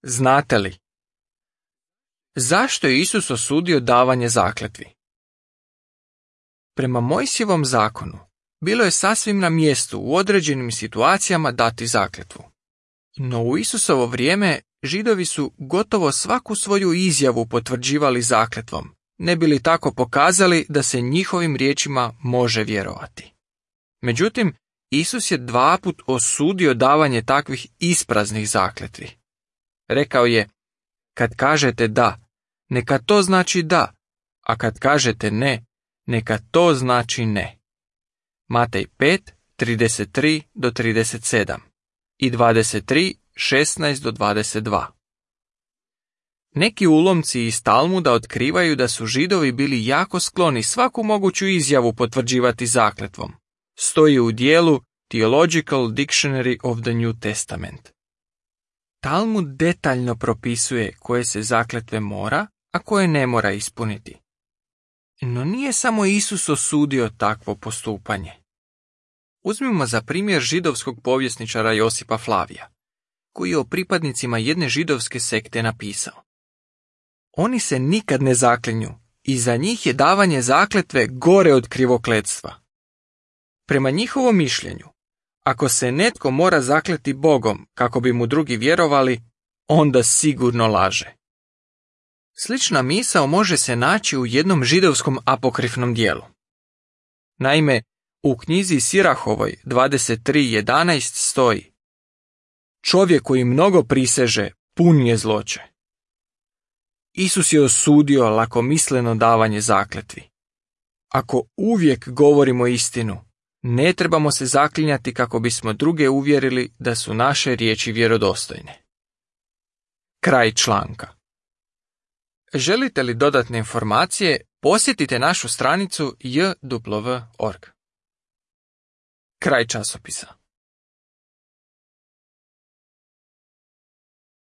Znate li? Zašto je Isus osudio davanje zakletvi? Prema Mojsijevom zakonu, bilo je sasvim na mjestu u određenim situacijama dati zakletvu. No u Isusovo vrijeme Židovi su gotovo svaku svoju izjavu potvrđivali zakletvom, ne bi li tako pokazali da se njihovim riječima može vjerovati. Međutim, Isus je 2 puta osudio davanje takvih ispraznih zakletvi. Rekao je, kad kažete da, neka to znači da, a kad kažete ne, neka to znači ne. Matej 5, 33 do 37 i 23, 16 do 22. Neki ulomci iz Talmuda otkrivaju da su Židovi bili jako skloni svaku moguću izjavu potvrđivati zakletvom. Stoji u dijelu Theological Dictionary of the New Testament. Talmud detaljno propisuje koje se zakletve mora, a koje ne mora ispuniti. No nije samo Isus osudio takvo postupanje. Uzmimo za primjer židovskog povjesničara Josipa Flavija, koji je o pripadnicima jedne židovske sekte napisao. Oni se nikad ne zaklinju i za njih je davanje zakletve gore od krivokletstva. Prema njihovom mišljenju, ako se netko mora zakleti Bogom kako bi mu drugi vjerovali, onda sigurno laže. Slična misao može se naći u jednom židovskom apokrifnom dijelu. Naime, u knjizi Sirahovoj 23.11 stoji: čovjek koji mnogo priseže, pun je zloće. Isus je osudio lakomisleno davanje zakletvi. Ako uvijek govorimo istinu, ne trebamo se zaklinjati kako bismo druge uvjerili da su naše riječi vjerodostojne. Kraj članka. Želite li dodatne informacije, posjetite našu stranicu jw.org. Kraj časopisa.